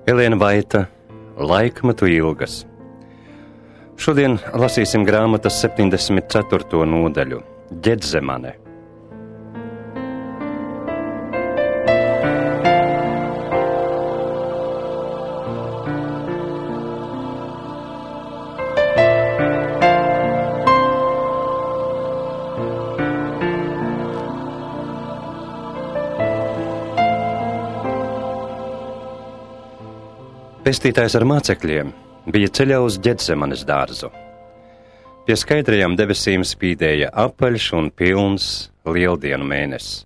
Elēna Vaita, Laikmetu ilgas. Šodien lasīsim grāmatas 74. nodaļu – Ģedzemane. Pestītājs ar mācekļiem bija ceļā uz Ģedzemanes dārzu. Pie skaidrajām debesīm spīdēja apaļš un pilns lieldienu mēnesis.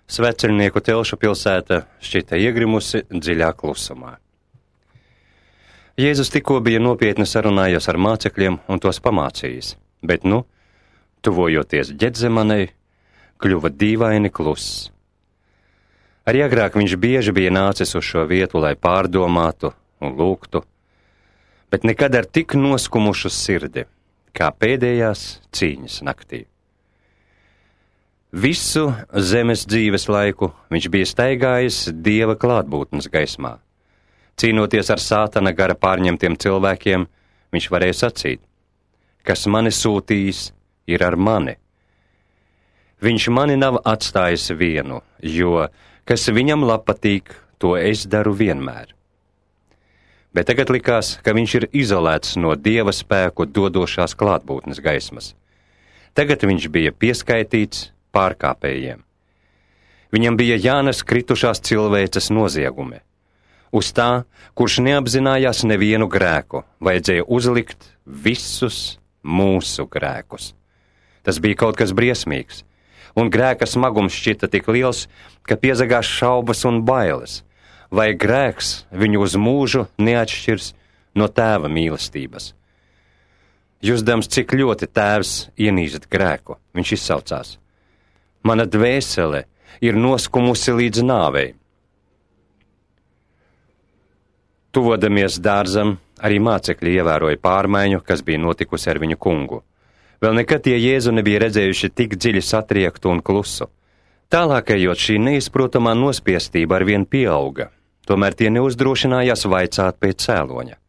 Sveceļnieku telšu pilsēta šķita iegrimusi dziļā klusumā. Jēzus tikko bija nopietni sarunājies ar mācekļiem un tos pamācījis, bet tuvojoties Ģedzemanei, kļuva dīvaini kluss. Arī agrāk viņš bieži bija nācis uz šo vietu, lai pārdomātu un lūgtu, bet nekad ar tik noskumušu sirdi, kā pēdējās cīņas naktī. Visu zemes dzīves laiku viņš bija staigājis Dieva klātbūtnes gaismā. Cīnoties ar Sātana gara pārņemtiem cilvēkiem, viņš varēja sacīt: kas mani sūtījis, ir ar mani. Viņš mani nav atstājis vienu, jo kas viņam patīk, to es daru vienmēr. Bet tagad likās, ka viņš ir izolēts no Dieva spēku dodošās klātbūtnes gaismas. Tagad viņš bija pieskaitīts pārkāpējiem. Viņam bija jānes kritušās cilvēces noziegumi. Uz tā, kurš neapzinājās nevienu grēku, vajadzēja uzlikt visus mūsu grēkus. Tas bija kaut kas briesmīgs. Un grēka smagums šķita tik liels, ka piezagās šaubas un bailes, vai grēks viņu uz mūžu neatšķirs no Tēva mīlestības. Jusdams, cik ļoti Tēvs ienīst grēku, viņš izsaucās: mana dvēsele ir noskumusi līdz nāvei. Tuvodamies dārzam, arī mācekļi ievēroja pārmaiņu, kas bija notikusi ar viņu kungu. Vēl nekad tie Jēzu nebija redzējuši tik dziļi satriektu un klusu. Tālāk ejot, šī neizprotamā nospiestība arvien pieauga, tomēr tie neuzdrošinājās vaicāt pēc cēloņa.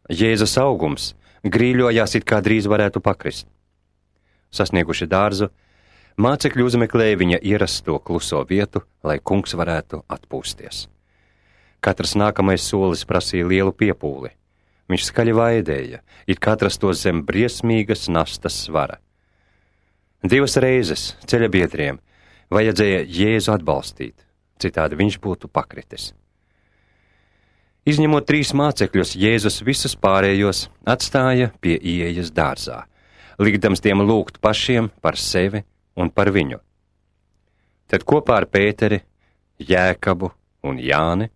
Jēzus augums grīļojās, it kā drīz varētu pakrist. Sasnieguši dārzu, mācekļi uzmeklēja viņa ierasto kluso vietu, lai kungs varētu atpūsties. Katrs nākamais solis prasīja lielu piepūli. Viņš skaļi vaidēja, it kā atrastos zem briesmīgas nastas svara. 2 reizes ceļabiedriem vajadzēja Jēzu atbalstīt, citādi viņš būtu pakritis. Izņemot 3 mācekļus, Jēzus visus pārējos atstāja pie ieejas dārzā, likdams tiem lūgt pašiem par sevi un par viņu. Tad kopā ar Pēteri, Jēkabu un Jāni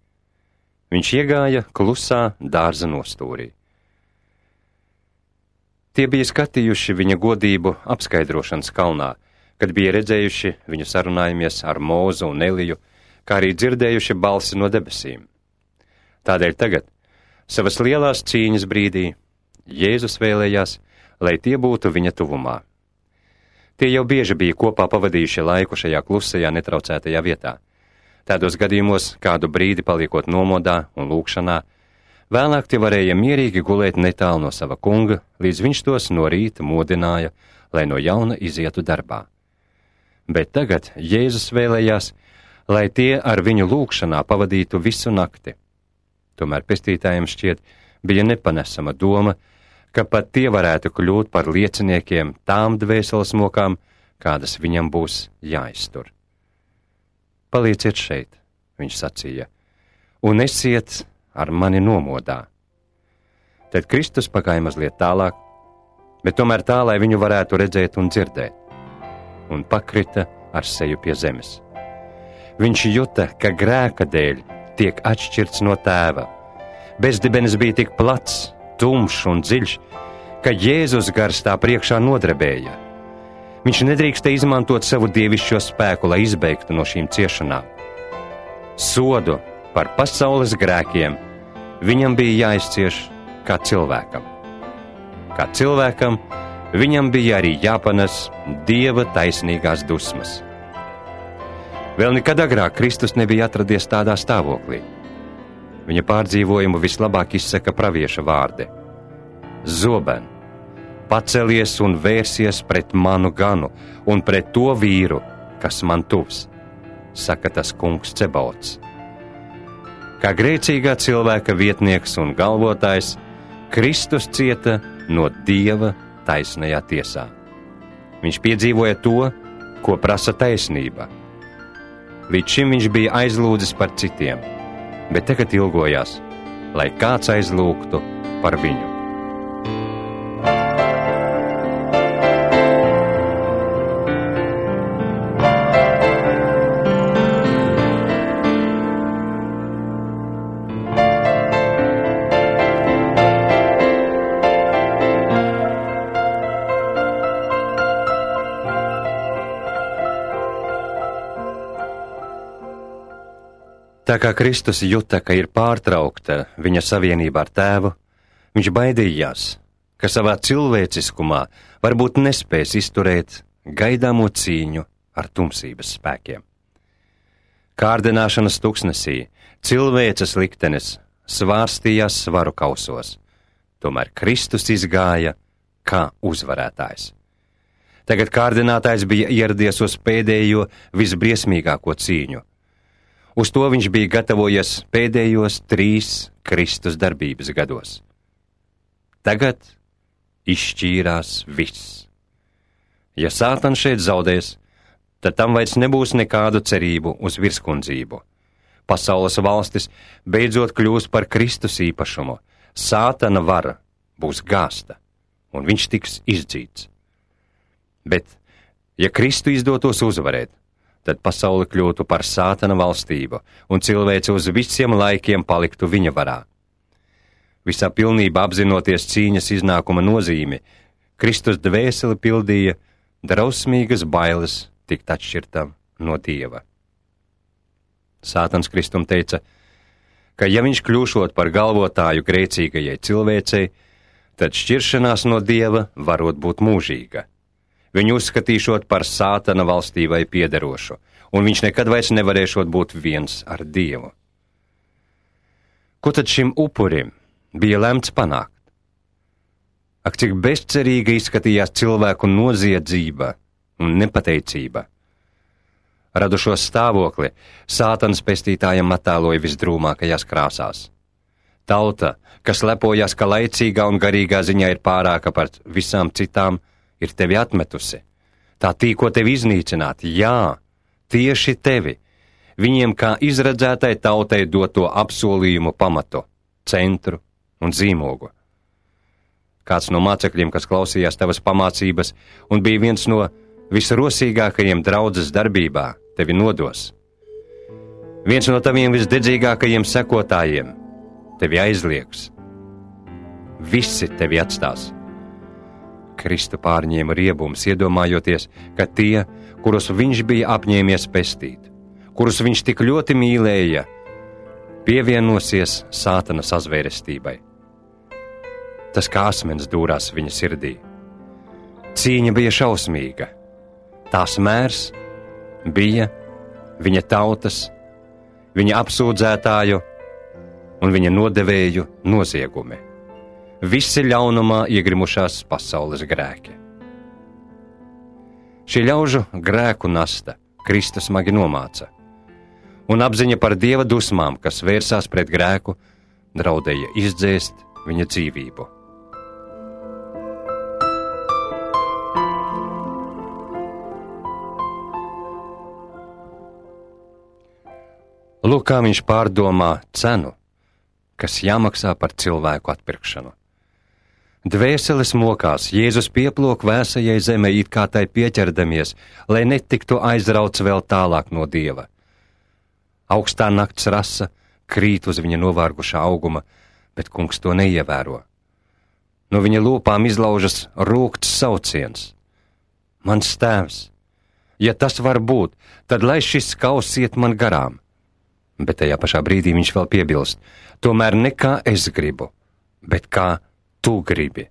viņš iegāja klusā dārza nostūrī. Tie bija skatījuši viņa godību apskaidrošanas kalnā, kad bija redzējuši viņu sarunājumies ar Mūzu un Eliju, kā arī dzirdējuši balsi no debesīm. Tādēļ tagad, savas lielās cīņas brīdī, Jēzus vēlējās, lai tie būtu viņa tuvumā. Tie jau bieži bija kopā pavadījuši laiku šajā klusajā, netraucētajā vietā. Tādos gadījumos, kādu brīdi paliekot nomodā un lūkšanā, vēlāk tie varēja mierīgi gulēt netālu no sava kunga, līdz viņš tos no rīta modināja, lai no jauna izietu darbā. Bet tagad Jēzus vēlējās, lai tie ar viņu lūkšanā pavadītu visu nakti. Tomēr pestītājiem šķiet bija nepanesama doma, ka pat tie varētu kļūt par lieciniekiem tām dvēseles mokām, kādas viņam būs jāiztur. Palieciet šeit, viņš sacīja, un esiet ar mani nomodā. Tad Kristus pagāja mazliet tālāk, bet tomēr tā, lai viņu varētu redzēt un dzirdēt, un pakrita ar seju pie zemes. Viņš juta, ka grēka dēļ tiek atšķirts no Tēva. Bezdibenis bija tik plats, tumšs un dziļš, ka Jēzus gars tā priekšā nodrebēja. Viņš nedrīkstēja izmantot savu dievišķo spēku, lai izbeigtu no šīm ciešanām. Sodu par pasaules grēkiem viņam bija jāizcieš kā cilvēkam. Kā cilvēkam viņam bija arī jāpanes Dieva taisnīgās dusmas. Vēl nekad agrāk Kristus nebija atradies tādā stāvoklī. Viņa pārdzīvojumu vislabāk izsaka pravieša vārdi. Zoben, pacelies un vērsies pret manu ganu un pret to vīru, kas man tuvs, saka tas kungs Cebaots. Kā grēcīgā cilvēka vietnieks un galvotājs, Kristus cieta no Dieva taisnajā tiesā. Viņš piedzīvoja to, ko prasa taisnība. Līdz šim viņš bija aizlūdzis par citiem, bet tagad ilgojās, lai kāds aizlūgtu par viņu. Tā kā Kristus juta, ka ir pārtraukta viņa savienība ar Tēvu, viņš baidījās, ka savā cilvēciskumā varbūt nespēs izturēt gaidāmo cīņu ar tumsības spēkiem. Kārdināšanas tuksnesī cilvēces liktenis svārstījās svaru kausos, tomēr Kristus izgāja kā uzvarētājs. Tagad kārdinātājs bija ieradies uz pēdējo visbriesmīgāko cīņu. Uz to viņš bija gatavojies pēdējos 3 Kristus darbības gados. Tagad izšķīrās viss. Ja Sātans šeit zaudēs, tad tam vairs nebūs nekādu cerību uz virskundzību. Pasaules valstis beidzot kļūs par Kristus īpašumu. Sātana vara būs gāsta, un viņš tiks izdzīts. Bet, ja Kristu izdotos uzvarēt, tad pasaule kļūtu par Sātana valstību, un cilvēce uz visiem laikiem paliktu viņa varā. Visā pilnībā apzinoties cīņas iznākuma nozīmi, Kristus dvēseli pildīja drausmīgas bailes tikt atšķirtam no Dieva. Sātans Kristum teica, ka ja viņš kļūšot par galvotāju grēcīgajai cilvēcei, tad šķiršanās no Dieva varot būt mūžīga. Viņu uzskatīšot par Sātana valstībai piederošu, un viņš nekad vairs nevarēšot būt viens ar Dievu. Ko tad šim upurim bija lemts panākt? Ak, cik bezcerīgi izskatījās cilvēku noziedzība un nepateicība. Radušo stāvokli Sātans pestītājam attēloja visdrūmākajās krāsās. Tauta, kas lepojas, ka laicīgā un garīgā ziņā ir pārāka par visām citām, ir tevi atmetusi. Tā tīko tevi iznīcināt, jā, tieši tevi, viņiem kā izredzētai tautai doto apsolījumu pamatu, centru un zīmogu. Kāds no mācekļiem, kas klausījās tavas pamācības un bija viens no visrosīgākajiem draudzes darbībā, tevi nodos. Viens no taviem visdedzīgākajiem sekotājiem tevi aizliegs. Visi tevi atstās. Kristu pārņēma riebums, iedomājoties, ka tie, kurus viņš bija apņēmies pestīt, kurus viņš tik ļoti mīlēja, pievienosies Sātana sazvērestībai. Tas kā asmens dūrās viņa sirdī. Cīņa bija šausmīga. Tās mērs bija viņa tautas, viņa apsūdzētāju un viņa nodevēju noziegumi. Visi ļaunumā iegrimušās pasaules grēki. Šī ļaužu grēku nasta Kristus smagi nomāca, un apziņa par Dieva dusmām, kas vērsās pret grēku, draudēja izdzēst viņa dzīvību. Lūk, kā viņš pārdomā cenu, kas jāmaksā par cilvēku atpirkšanu. Dvēseles mokās, Jēzus pieplok vēsajai zemē, it kā tai pieķerdamies, lai netiktu aizrauts vēl tālāk no Dieva. Augstā nakts rasa krīt uz viņa novārgušā auguma, bet kungs to neievēro. No viņa lūpām izlaužas rūgts sauciens. Mans tēvs, ja tas var būt, tad lai šis kauss iet man garām. Bet tajā pašā brīdī viņš vēl piebilst, tomēr ne kā es gribu, bet kā tu gribi.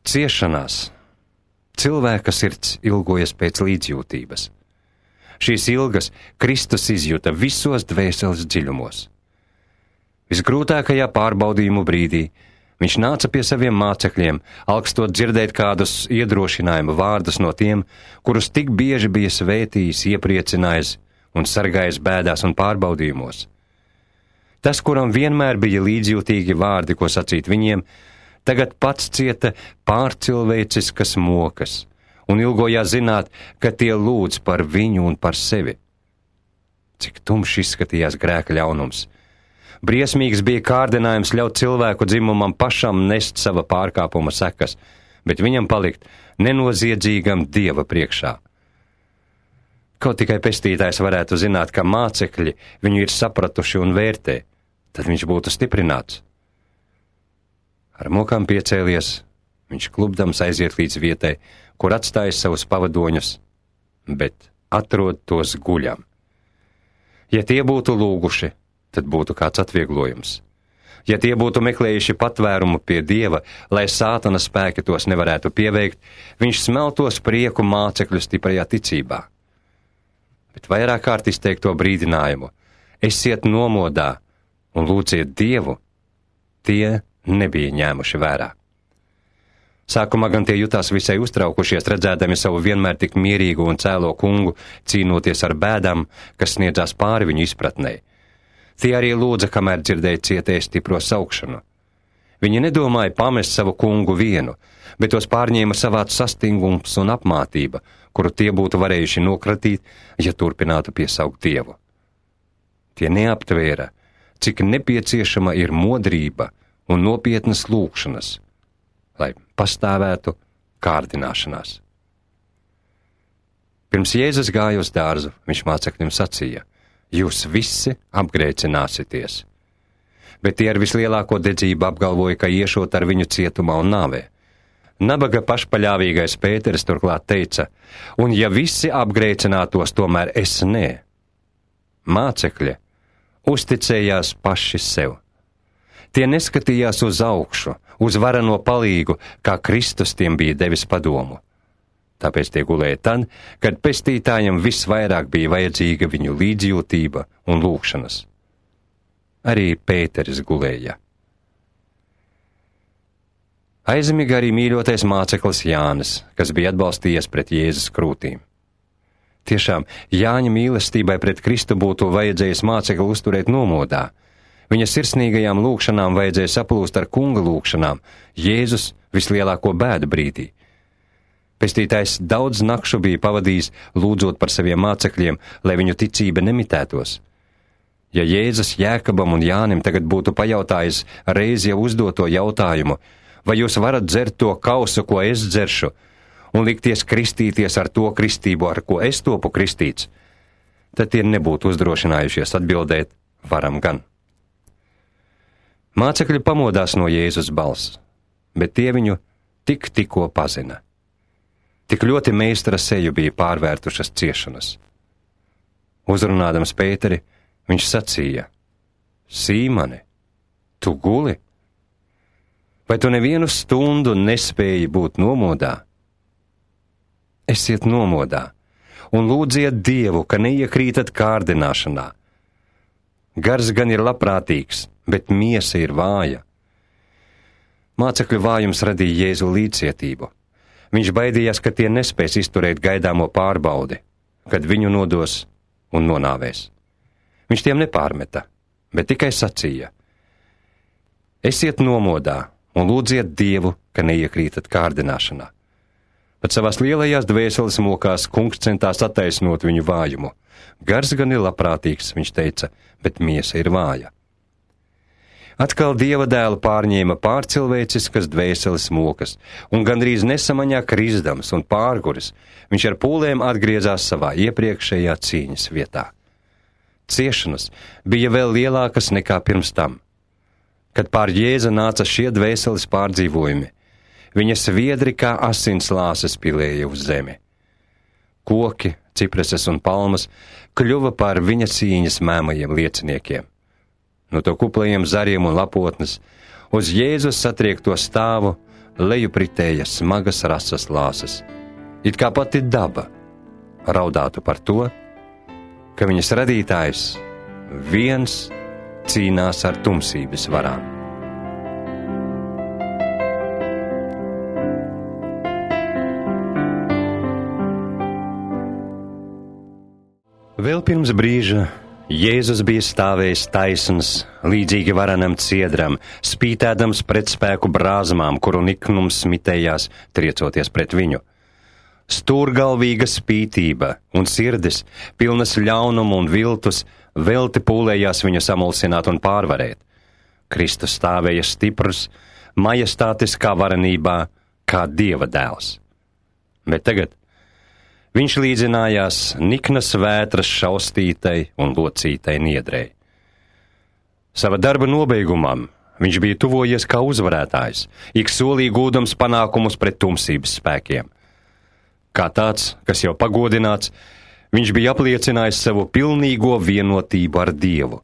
Ciešanās cilvēka sirds ilgojas pēc līdzjūtības. Šīs ilgas Kristus izjuta visos dvēseles dziļumos. Visgrūtākajā pārbaudījumu brīdī viņš nāca pie saviem mācekļiem, alkstot dzirdēt kādus iedrošinājumu vārdus no tiem, kurus tik bieži bija svētījis, iepriecinājis un sargājis bēdās un pārbaudījumos. Tas, kuram vienmēr bija līdzjūtīgi vārdi, ko sacīt viņiem, tagad pats cieta pārcilvēciskas mokas un ilgojās zināt, ka tie lūdz par viņu un par sevi. Cik tumšs izskatījās grēka ļaunums. Briesmīgs bija kārdinājums ļaut cilvēku dzimumam pašam nest sava pārkāpuma sekas, bet viņam palikt nenoziedzīgam Dieva priekšā. Kaut tikai pestītājs varētu zināt, ka mācekļi viņu ir sapratuši un vērtē, tad viņš būtu stiprināts. Ar mokām piecēlies, viņš klubdams aiziet līdz vietai, kur atstājis savus pavadoņus, bet atrod tos guļam. Ja tie būtu lūguši, tad būtu kāds atvieglojums. Ja tie būtu meklējuši patvērumu pie Dieva, lai sātana spēki tos nevarētu pieveikt, viņš smeltos prieku mācekļu stiprajā ticībā. Bet vairāk kārt izteikto brīdinājumu: esiet nomodā un lūdziet Dievu, tie nebija ņēmuši vērā. Sākumā gan tie jutās visai uztraukušies, redzēdami savu vienmēr tik mierīgu un cēlo kungu, cīnoties ar bēdām, kas sniedzās pāri viņu izpratnei. Tie arī lūdza, kamēr dzirdēja cietēja stipro saukšanu. Viņi nedomāja pamest savu kungu vienu, bet tos pārņēma savāds sastingums un apmātība, kuru tie būtu varējuši nokratīt, ja turpinātu piesaukt Dievu. Tie neaptvēra, cik nepieciešama ir modrība un nopietnas lūgšanas, lai pastāvētu kārdināšanās. Pirms Jēzus gāja uz dārzu, viņš mācekļiem sacīja: jūs visi apgrēcināsieties. Bet tie ar vislielāko dedzību apgalvoja, ka iešot ar viņu cietumā un nāvē. Nabaga pašpaļāvīgais Pēteris turklāt teica: un ja visi apgrēcinātos, tomēr es nē. Mācekļi uzticējās paši sev. Tie neskatījās uz augšu, uz varano palīgu, kā Kristus tiem bija devis padomu. Tāpēc tie gulēja tad, kad pestītājiem visvairāk bija vajadzīga viņu līdzjūtība un lūgšanas. Arī Pēteris gulēja. Aizmiga arī mīļotais māceklis Jānis, kas bija atbalstījies pret Jēzus krūtīm. Tiešām, Jāņa mīlestībai pret Kristu būtu vajadzējis mācekli uzturēt nomodā. Viņa sirsnīgajām lūgšanām vajadzēja saplūst ar kunga lūgšanām, Jēzus vislielāko bēdu brīdī. Pestītājs daudz nakšu bija pavadījis lūdzot par saviem mācekļiem, lai viņu ticība nemitētos. Ja Jēzus Jēkabam un Jānim tagad būtu pajautājis reiz jau uzdoto jautājumu: vai jūs varat dzert to kausu, ko es dzeršu, un likties kristīties ar to kristību, ar ko es topu kristīts, tad tie nebūtu uzdrošinājušies atbildēt: varam gan. Mācekļi pamodās no Jēzus balss, bet tie viņu tikko pazina. Tik ļoti meistara seju bija pārvērtušas ciešanas. Uzrunādams Pēteri, viņš sacīja: Sīmane, tu guli? Vai tu nevienu stundu nespēji būt nomodā? Esiet nomodā un lūdziet Dievu, ka neiekrītat kārdināšanā. Gars gan ir labprātīgs, bet miesa ir vāja. Mācekļu vājums radīja Jēzu līdzcietību. Viņš baidījās, ka tie nespēs izturēt gaidāmo pārbaudi, kad viņu nodos un nonāvēs. Viņš tiem nepārmeta, bet tikai sacīja: esiet nomodā un lūdziet Dievu, ka neiekrītat kārdināšanā. Pat savās lielajās dvēseles mokās kungs centās attaisnot viņu vājumu. Gars gan ir labprātīgs, viņš teica, bet miesa ir vāja. Atkal Dieva dēlu pārņēma pārcilvēciskas dvēseles mokas, un gandrīz nesamaņā krizdams un pārguris, viņš ar pūlēm atgriezās savā iepriekšējā cīņas vietā. Ciešanas bija vēl lielākas nekā pirms tam. Kad pār Jēzu nāca šie dvēseles pārdzīvojumi, viņa sviedri kā asins lāses pilēja uz zemi. Koki, cipreses un palmas kļuva par viņa cīņas mēmajiem lieciniekiem. No to kuplajiem zariem un lapotnes uz Jēzus satriekto stāvu leju pritēja smagas rasas lāses, it kā pati daba raudātu par to, ka viņas radītājs viens cīnās ar tumsības varām. Vēl pirms brīža Jēzus bija stāvējis taisns, līdzīgi varenam ciedram, spītēdams pretspēku brāzmām, kuru niknums smitējās, triecoties pret viņu. Stūrgalvīga spītība un sirdis, pilnas ļaunumu un viltus, velti pūlējās viņu samulsināt un pārvarēt. Kristus stāvēja stiprs, majestātiskā varenībā, kā Dieva dēls. Bet tagad viņš līdzinājās niknas vētras šaustītai un locītai niedrei. Sava darba nobeigumam viņš bija tuvojies kā uzvarētājs, ik solī gūdams panākumus pret tumsības spēkiem. Kā tāds, kas jau pagodināts, viņš bija apliecinājis savu pilnīgo vienotību ar Dievu.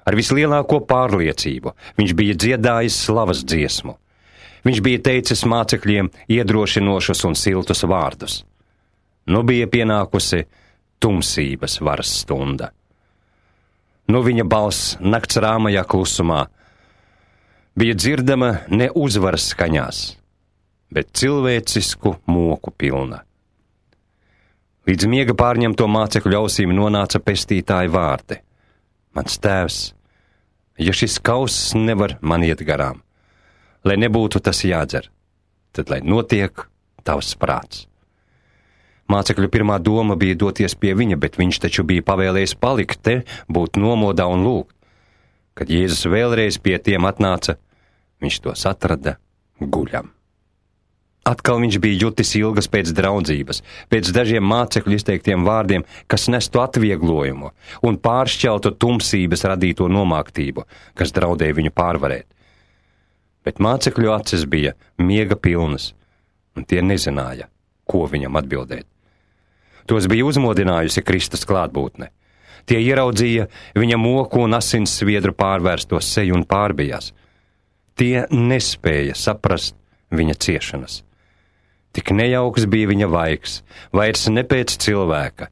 Ar vislielāko pārliecību viņš bija dziedājis slavas dziesmu. Viņš bija teicis mācekļiem iedrošinošus un siltus vārdus. Nu bija pienākusi tumsības varas stunda. Nu viņa balss nakts rāmajā klusumā bija dzirdama ne uzvaras skaņās, bet cilvēcisku moku pilna. Līdz miega pārņemto mācekļu ausīm nonāca pestītāja vārdi. Mans tēvs, ja šis kauss nevar man iet garām, lai nebūtu tas jādzer, tad lai notiek tavs prāts. Mācekļu pirmā doma bija doties pie viņa, bet viņš taču bija pavēlējis palikt te, būt nomodā un lūgt. Kad Jēzus vēlreiz pie tiem atnāca, viņš tos atrada guļam. Atkal viņš bija jutis ilgas pēc draudzības, pēc dažiem mācekļu izteiktiem vārdiem, kas nestu atvieglojumu un pāršķeltu tumsības radīto nomāktību, kas draudēja viņu pārvarēt. Bet mācekļu acis bija miega pilnas, un tie nezināja, ko viņam atbildēt. Tos bija uzmodinājusi Kristus klātbūtne. Tie ieraudzīja viņa moku un asins sviedru pārvērsto seju un pārbijās. Tie nespēja saprast viņa ciešanas. Tik nejauks bija viņa vaigs, vairs ne pēc cilvēka,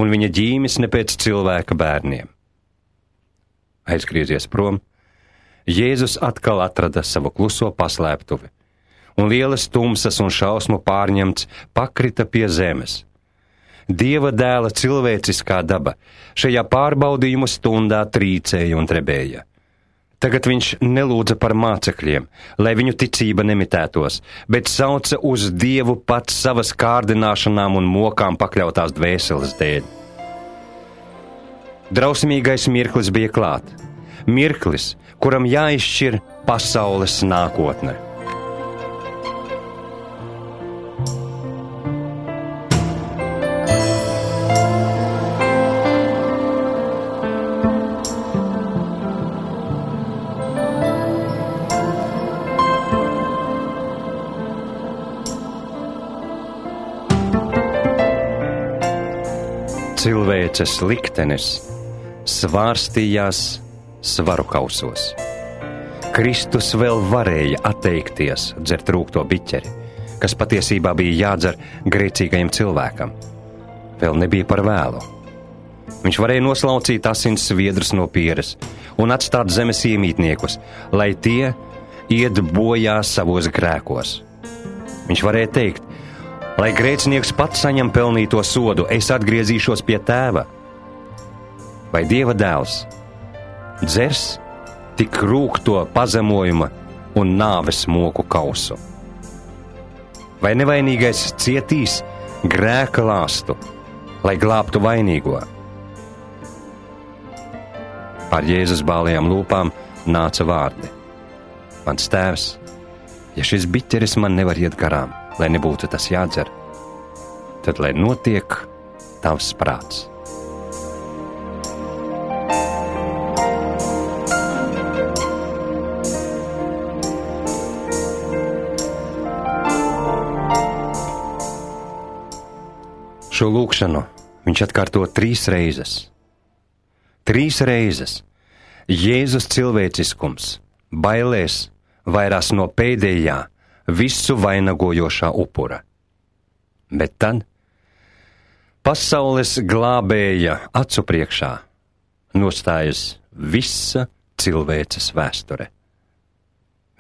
un viņa ģīmis ne pēc cilvēka bērniem. Aizgriezies prom, Jēzus atkal atrada savu kluso paslēptuvi, un lielas tumsas un šausmu pārņemts pakrita pie zemes. Dieva dēla cilvēciskā daba šajā pārbaudījumu stundā trīcēja un trebēja. Tagad viņš nelūdza par mācekļiem, lai viņu ticība nemitētos, bet sauca uz Dievu pats savas kārdināšanām un mokām pakļautās dvēseles dēļ. Drausmīgais mirklis bija klāt. Mirklis, kuram jāizšķir pasaules nākotne. Cilvēces liktenis svārstījās svaru kausos. Kristus vēl varēja atteikties dzert rūgto biķeri, kas patiesībā bija jādzer grēcīgajam cilvēkam. Vēl nebija par vēlu. Viņš varēja noslaucīt asins sviedrus no pieres un atstāt zemes iemītniekus, lai tie iet bojā savos grēkos. Viņš varēja teikt, lai grēcinieks pats saņem pelnīto sodu, es atgriezīšos pie tēva. Vai Dieva dēls dzers tik rūgto pazemojuma un nāves moku kausu? Vai nevainīgais cietīs grēka lāstu, lai glābtu vainīgo? Pār Jēzus bālajām lūpām nāca vārdi. Mans tēvs, ja šis biķeris man nevar iet garām, lai nebūtu tas jādzer, tad lai notiek tavs prāts. Šo lūkšanu viņš atkārto 3 reizes. 3 reizes Jēzus cilvēciskums bailēs vairās no pēdējā, visu vainagojošā upura. Bet tad pasaules glābēja acu priekšā nostājas visa cilvēces vēsture.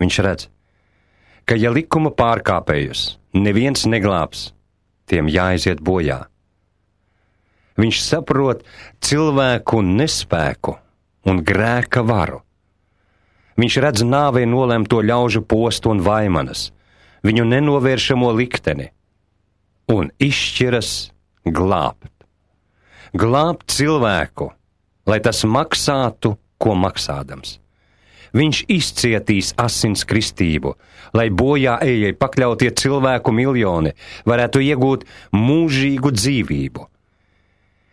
Viņš redz, ka ja likuma pārkāpējus neviens neglābs, tiem jāaiziet bojā. Viņš saprot cilvēku nespēku un grēka varu. Viņš redz nāvei nolemto ļaužu postu un vaimanas, viņu nenovēršamo likteni, un izšķiras glābt. Glābt cilvēku, lai tas maksātu, ko maksādams. Viņš izcietīs asins kristību, lai bojā ejai pakļautie cilvēku miljoni varētu iegūt mūžīgu dzīvību.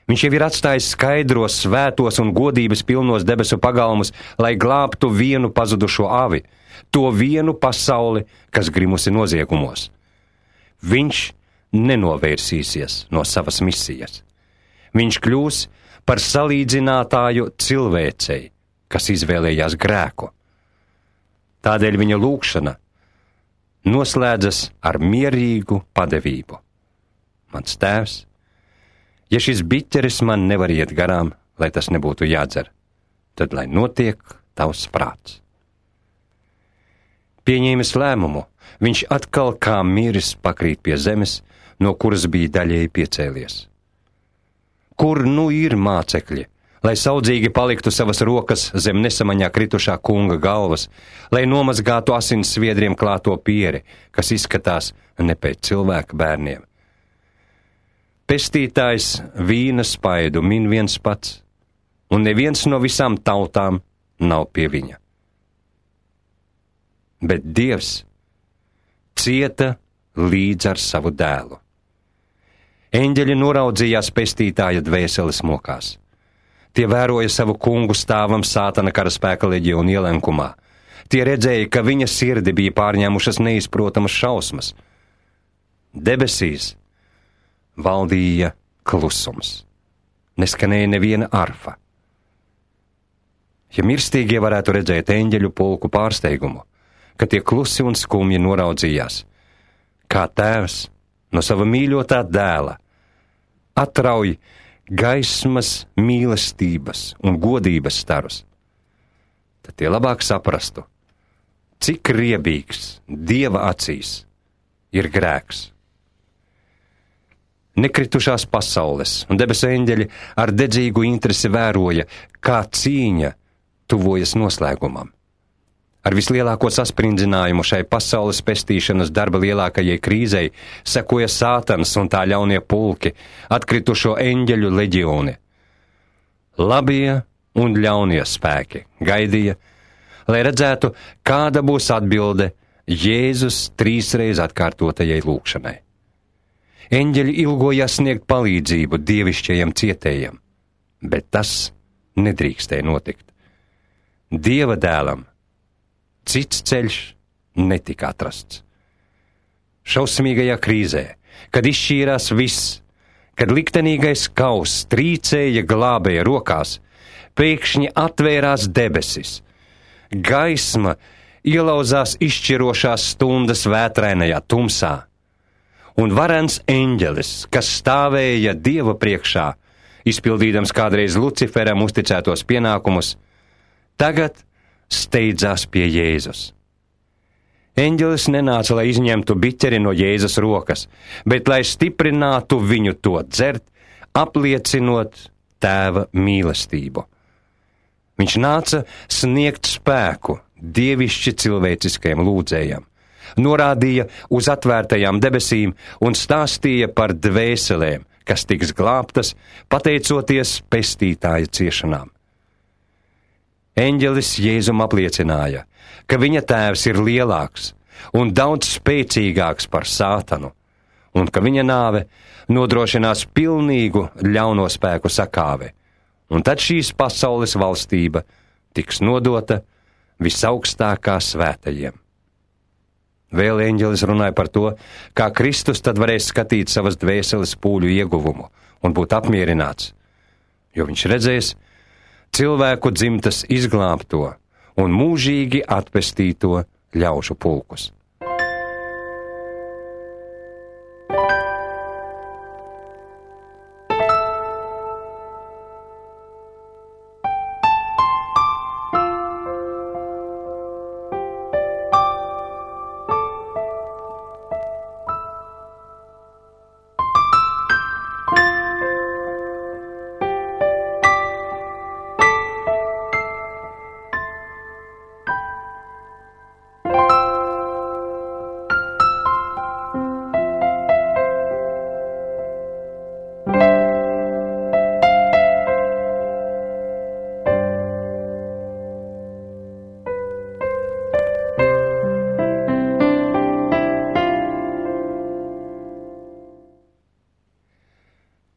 Viņš jau ir atstājis skaidros, svētos un godības pilnos debesu pagalmus, lai glābtu vienu pazudušo avi, to vienu pasauli, kas grimusi noziegumos. Viņš nenovērsīsies no savas misijas. Viņš kļūs par salīdzinātāju cilvēcei, kas izvēlējās grēku. Tādēļ viņa lūgšana noslēdzas ar mierīgu padevību. Mans tēvs, ja šis biķeris man nevar iet garām, lai tas nebūtu jādzer, tad lai notiek tavs prāts. Pieņēmis lēmumu, viņš atkal kā miris pakrīt pie zemes, no kuras bija daļēji piecēlies. Kur nu ir mācekļi, lai saudzīgi paliktu savas rokas zem nesamaņā kritušā kunga galvas, lai nomazgātu asins sviedriem klāto pieri, kas izskatās ne pēc cilvēka bērniem? Pestītājs vīna spaidu min viens pats, un neviens no visām tautām nav pie viņa. Bet Dievs cieta līdz ar savu dēlu. Eņģeļi noraudzījās pestītāja dvēseles mokās. Tie vēroja savu kungu stāvam sātana karaspēka leģionu ielenkumā. Tie redzēja, ka viņa sirdi bija pārņēmušas neizprotamas šausmas. Debesīs valdīja klusums. Neskanēja neviena arfa. Ja mirstīgie varētu redzēt eņģeļu pulku pārsteigumu, ka tie klusi un skumji noraudzījās, kā tēvs no sava mīļotā dēla atrauj gaismas, mīlestības un godības starus, tad tie labāk saprastu, cik riebīgs Dieva acīs ir grēks. Nekritušās pasaules un debesu eņģeļi ar dedzīgu interesi vēroja, kā cīņa tuvojas noslēgumam. Ar vislielāko sasprindzinājumu šai pasaules pestīšanas darba lielākajai krīzei sekoja Sātans un tā ļaunie pulki, atkritušo eņģeļu leģioni. Labie un ļaunie spēki gaidīja, lai redzētu, kāda būs atbilde Jēzus 3 atkārtotajai lūgšanai. Eņģeļi ilgojās sniegt palīdzību dievišķajam cietējam, bet tas nedrīkstēja notikt. Dieva dēlam cits ceļš netika atrasts. Šausmīgajā krīzē, kad izšķīrās viss, kad liktenīgais kauss trīcēja glābēja rokās, pēkšņi atvērās debesis. Gaisma ielauzās izšķirošās stundas vētrainajā tumsā, un varens eņģelis, kas stāvēja Dieva priekšā, izpildīdams kādreiz Luciferam uzticētos pienākumus, tagad steidzās pie Jēzus. Eņģelis nenāca, lai izņemtu biķeri no Jēzus rokas, bet lai stiprinātu viņu to dzert, apliecinot tēva mīlestību. Viņš nāca sniegt spēku dievišķi cilvēciskajam lūdzējam, norādīja uz atvērtajām debesīm un stāstīja par dvēselēm, kas tiks glābtas, pateicoties pestītāja ciešanām. Eņģelis Jēzum apliecināja, ka viņa tēvs ir lielāks un daudz spēcīgāks par Sātanu, un ka viņa nāve nodrošinās pilnīgu ļauno spēku sakāvi, un tad šīs pasaules valstība tiks nodota visaugstākā svētajiem. Vēl eņģelis runāja par to, kā Kristus tad varēs skatīt savas dvēseles pūļu ieguvumu un būt apmierināts, jo viņš redzēs cilvēku dzimtas izglābto un mūžīgi atpestīto ļaužu pulkus.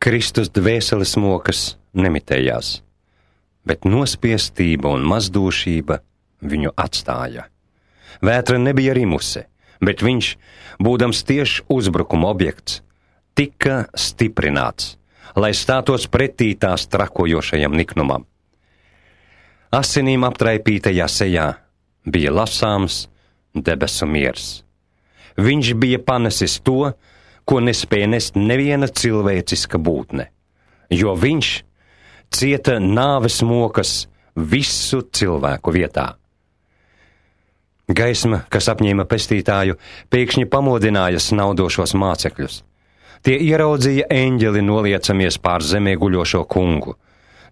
Kristus dvēseles mokas nemitējās, bet nospiestība un mazdūšība viņu atstāja. Vētra nebija rimusi, bet viņš, būdams tieši uzbrukuma objekts, tika stiprināts, lai stātos pretī tās trakojošajam niknumam. Asinīm aptraipītajā sejā bija lasāms debesu miers. Viņš bija panesis to, ko nespēja nest neviena cilvēciska būtne, jo viņš cieta nāves mokas visu cilvēku vietā. Gaisma, kas apņēma pestītāju, pēkšņi pamodināja snaudošos mācekļus. Tie ieraudzīja eņģeli noliecamies pār zemē guļošo kungu.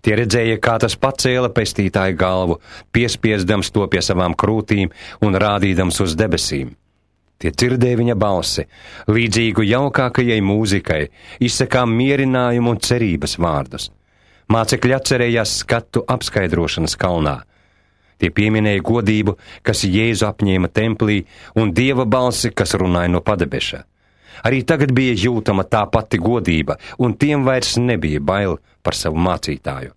Tie redzēja, kā tas pacēla pestītāju galvu, piespiesdams to pie savām krūtīm un rādīdams uz debesīm. Tie dzirdēja viņa balsi, līdzīgu jaukākajai mūzikai, izsakām mierinājumu un cerības vārdus. Mācekļi atcerējās skatu apskaidrošanas kalnā. Tie pieminēja godību, kas Jēzu apņēma templī, un Dieva balsi, kas runāja no padebeša. Arī tagad bija jūtama tā pati godība, un tiem vairs nebija bail par savu mācītāju.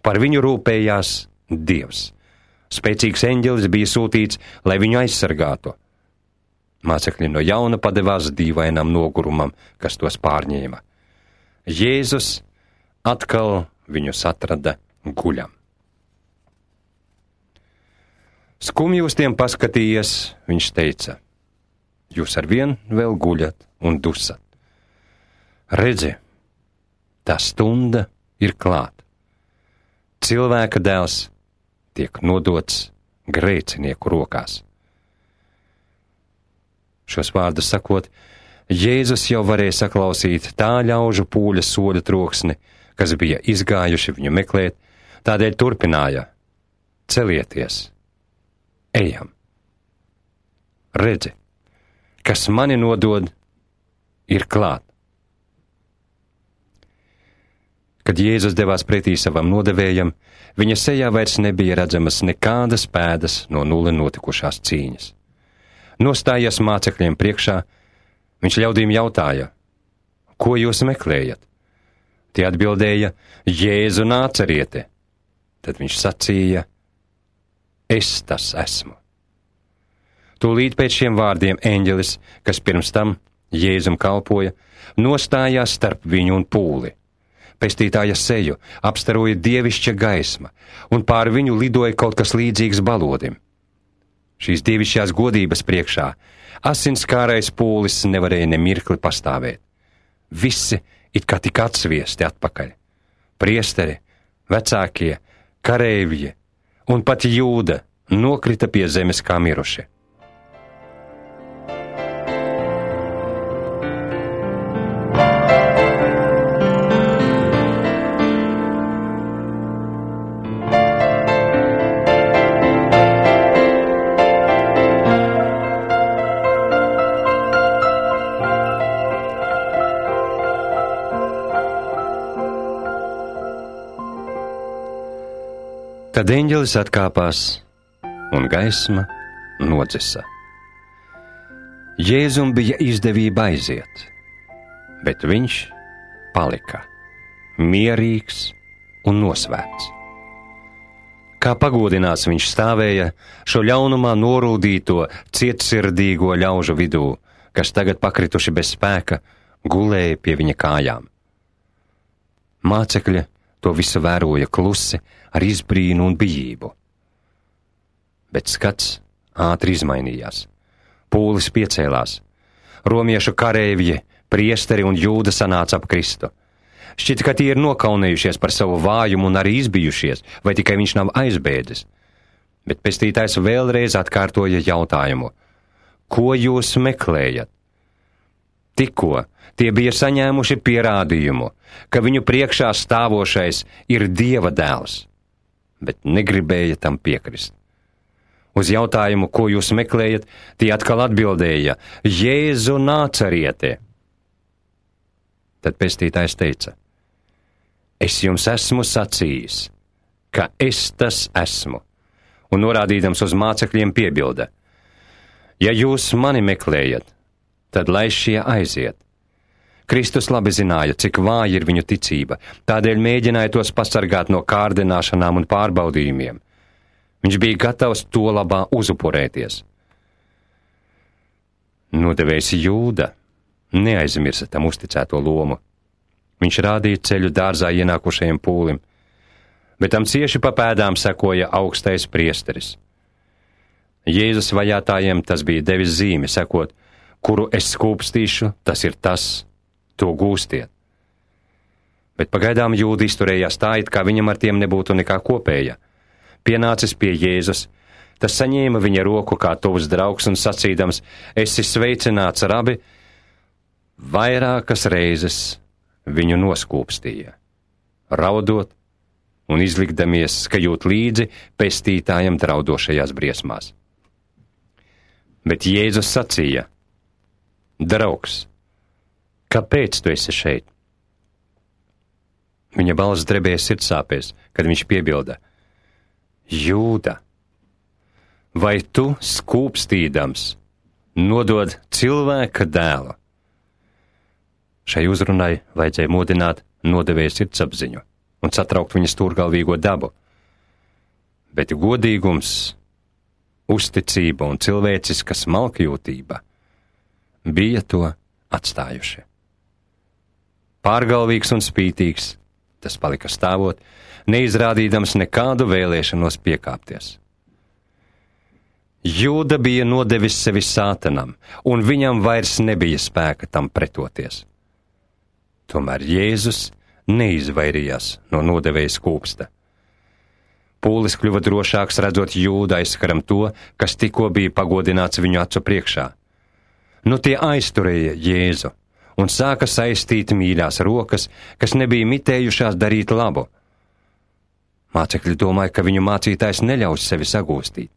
Par viņu rūpējās Dievs. Spēcīgs eņģelis bija sūtīts, lai viņu aizsargātu. Mācekļi no jauna padevās dīvainam nogurumam, kas tos pārņēma. Jēzus atkal viņus atrada guļam. Skumji uz tiem paskatījies, viņš teica: jūs arvien vēl guļat un dusat. Redzi, tā stunda ir klāt. Cilvēka dēls tiek nodots grēcinieku rokās. Šos vārdus sakot, Jēzus jau varēja saklausīt tā ļaužu pūļa soļu troksni, kas bija izgājuši viņu meklēt, tādēļ turpināja: celieties, ejam. Redzi, kas mani nodod, ir klāt. Kad Jēzus devās pretī savam nodevējam, viņa sejā vairs nebija redzamas nekādas pēdas no nulle notikušās cīņas. Nostājies mācekļiem priekšā, viņš ļaudīm jautāja: ko jūs meklējat? Tie atbildēja: Jēzu Nācerieti. Tad viņš sacīja: es tas esmu. Tūlīt pēc šiem vārdiem eņģelis, kas pirms tam Jēzum kalpoja, nostājās starp viņu un pūli. Pestītāja seju apstaroja dievišķa gaisma, un pār viņu lidoja kaut kas līdzīgs balodim. Šīs dievišķās godības priekšā asinskārais pūlis nevarēja ne mirkli pastāvēt. Visi it kā tika atsviesti atpakaļ. Priesteri, vecākie, kareivji un pat Jūda nokrita pie zemes kā miruši. Tad eņģelis atkāpās, un gaisma nodzisa. Jēzum bija izdevība aiziet, bet viņš palika mierīgs un nosvēts. Kā pagodināts viņš stāvēja šo ļaunumā norūdīto, cietsirdīgo ļaužu vidū, kas tagad pakrituši bez spēka, gulēja pie viņa kājām. Mācekļi to visu vēroja klusi, ar izbrīnu un bijību. Bet skats ātri izmainījās. Pūlis piecēlās. Romiešu kareivji, priesteri un Jūda sanāca ap Kristu. Šķita, ka tie ir nokaunējušies par savu vājumu un arī izbijušies, vai tikai viņš nav aizbēdzis. Bet pestītājs vēlreiz atkārtoja jautājumu: ko jūs meklējat? Tikko tie bija saņēmuši pierādījumu, ka viņu priekšā stāvošais ir Dieva dēls, bet negribēja tam piekrist. Uz jautājumu, ko jūs meklējat, tie atkal atbildēja: Jēzu Nācerieti. Tad pestītājs teica: es jums esmu sacījis, ka es tas esmu, un norādīdams uz mācekļiem piebilda: ja jūs mani meklējat, tad lai šie aiziet. Kristus labi zināja, cik vāja ir viņu ticība, tādēļ mēģināja tos pasargāt no kārdināšanām un pārbaudījumiem. Viņš bija gatavs to labā uzupurēties. Nodevējs Jūda neaizmirsa tam uzticēto lomu. Viņš rādīja ceļu dārzā ienākušajam pūlim, bet tam cieši pa pēdām sekoja augstais priesteris. Jēzus vajātājiem tas bija devis zīmi, sakot, kuru es skūpstīšu, tas ir tas, to gūstiet. Bet pagaidām Jūda izturējās tā, it kā viņam ar tiem nebūtu nekā kopēja. Pienācis pie Jēzus, tas saņēma viņa roku kā tuvs draugs un sacīdams, esi sveicināts, rabi, vairākas reizes viņu noskūpstīja, raudot un izlikdamies, ka jūt līdzi pestītājam draudošajās briesmās. Bet Jēzus sacīja, draugs, kāpēc tu esi šeit? Viņa balss drebēja sirdsāpēs, kad viņš piebilda, Jūda, vai tu skūpstīdams nodod cilvēka dēlu? Šai uzrunai vajadzēja mudināt nodevēja sirdsapziņu un satraukt viņa stūrgalvīgo dabu. Bet godīgums, uzticība un cilvēciska smalkjūtība bija to atstājuši. Pārgalvīgs un spītīgs, tas palika stāvot, neizrādīdams nekādu vēlēšanos piekāpties. Jūda bija nodevis sevi sātanam, un viņam vairs nebija spēka tam pretoties. Tomēr Jēzus neizvairījās no nodevēja skūpsta. Pūlis kļuva drošāks, redzot Jūdu aizskaram to, kas tikko bija pagodināts viņu acu priekšā. Nu tie aizturēja Jēzu un sāka saistīt mīļās rokas, kas nebija mitējušās darīt labu. Mācekļi domāja, ka viņu mācītājs neļaus sevi sagūstīt.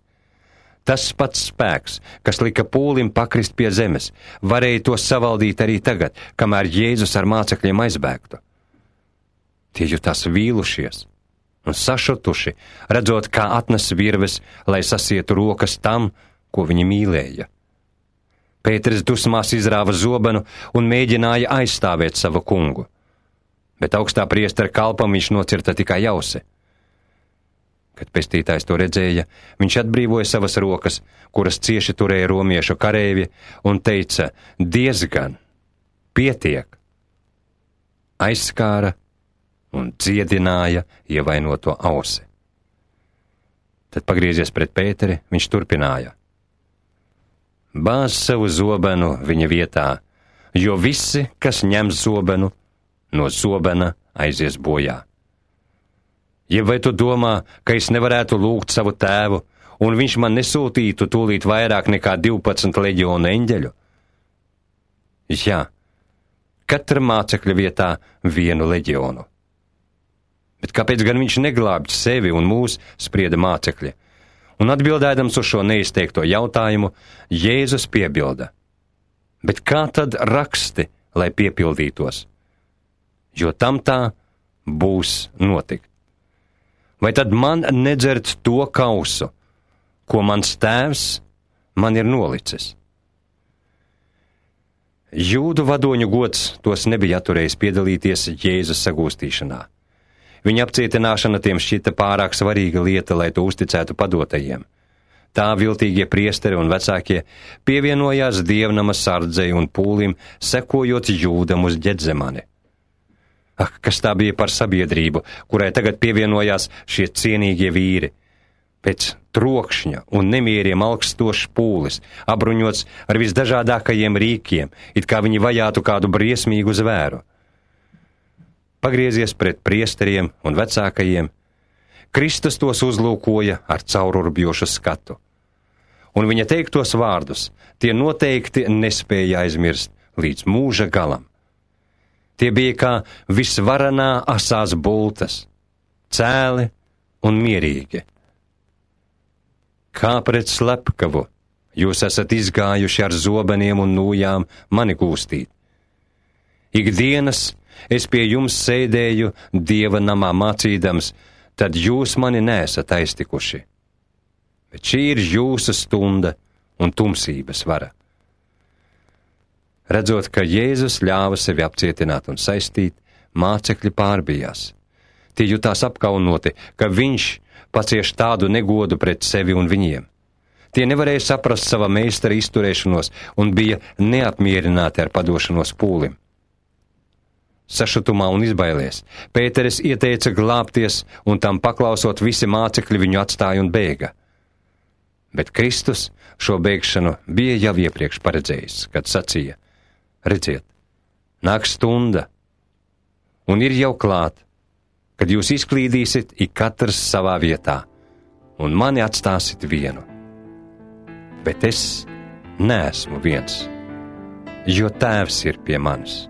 Tas pats spēks, kas lika pūlim pakrist pie zemes, varēja to savaldīt arī tagad, kamēr Jēzus ar mācekļiem aizbēgtu. Tie jutās vīlušies un sašutuši, redzot, kā atnes virves, lai sasietu rokas tam, ko viņi mīlēja. Pēteris dusmās izrāva zobenu un mēģināja aizstāvēt savu kungu, bet augstā priestera kalpam viņš nocirta tikai ausi. Kad pestītājs to redzēja, viņš atbrīvoja savas rokas, kuras cieši turēja romiešu kareivji, un teica, diezgan, pietiek. Aizskāra un dziedināja ievainoto ausi. Tad pagriezies pret Pēteri, viņš turpināja. Bāz savu zobenu viņa vietā, jo visi, kas ņem zobenu, no zobena aizies bojā. Jeb vai tu domā, ka es nevarētu lūgt savu tēvu, un viņš man nesūtītu tūlīt vairāk nekā 12 leģionu eņģeļu? Jā, katra mācekļa vietā vienu leģionu. Bet kāpēc gan viņš neglābj sevi un mūs, sprieda mācekļi? Un atbildēdams uz šo neizteikto jautājumu, Jēzus piebilda. Bet kā tad raksti, lai piepildītos? Jo tam tā būs notikt. Vai tad man nedzert to kausu, ko mans tēvs man ir nolicis? Jūdu vadoņu gods tos nebija atturējis piedalīties Jēzus sagūstīšanā. Viņa apcietināšana tiem šķita pārāk svarīga lieta, lai to uzticētu padotajiem. Tā viltīgie priesteri un vecākie pievienojās dievnama sardzei un pūlim, sekojot Jūdam uz Ģedzemani. Ak, kas tā bija par sabiedrību, kurai tagad pievienojās šie cienīgie vīri. Pēc trokšņa un nemieriem augstošs pūlis, apbruņots ar visdažādākajiem rīkiem, it kā viņi vajātu kādu briesmīgu zvēru. Pagriezies pret priesteriem un vecākajiem, Kristus tos uzlūkoja ar caururbjošu skatu. Un viņa teiktos vārdus tie noteikti nespēja aizmirst līdz mūža galam. Tie bija kā visvaranā asās bultas, cēli un mierīgi. Kā pret slepkavu jūs esat izgājuši ar zobeniem un nūjām mani gūstīt. Ikdienas es pie jums sēdēju Dieva namā mācīdams, tad jūs mani neesat aiztikuši. Bet šī ir jūsu stunda un tumsības vara. Redzot, ka Jēzus ļāva sevi apcietināt un saistīt, mācekļi pārbijās. Tie jutās apkaunoti, ka viņš pacieš tādu negodu pret sevi un viņiem. Tie nevarēja saprast sava meistara izturēšanos un bija neapmierināti ar padošanos pūlim. Sašutumā un izbailies, Pēteris ieteica glābties, un tam paklausot visi mācekļi viņu atstāja un bēga. Bet Kristus šo bēgšanu bija jau iepriekš paredzējis, kad sacīja: redziet, nāk stunda, un ir jau klāt, kad jūs izklīdīsit ik katrs savā vietā, un mani atstāsit vienu. Bet es neesmu viens, jo Tēvs ir pie manis.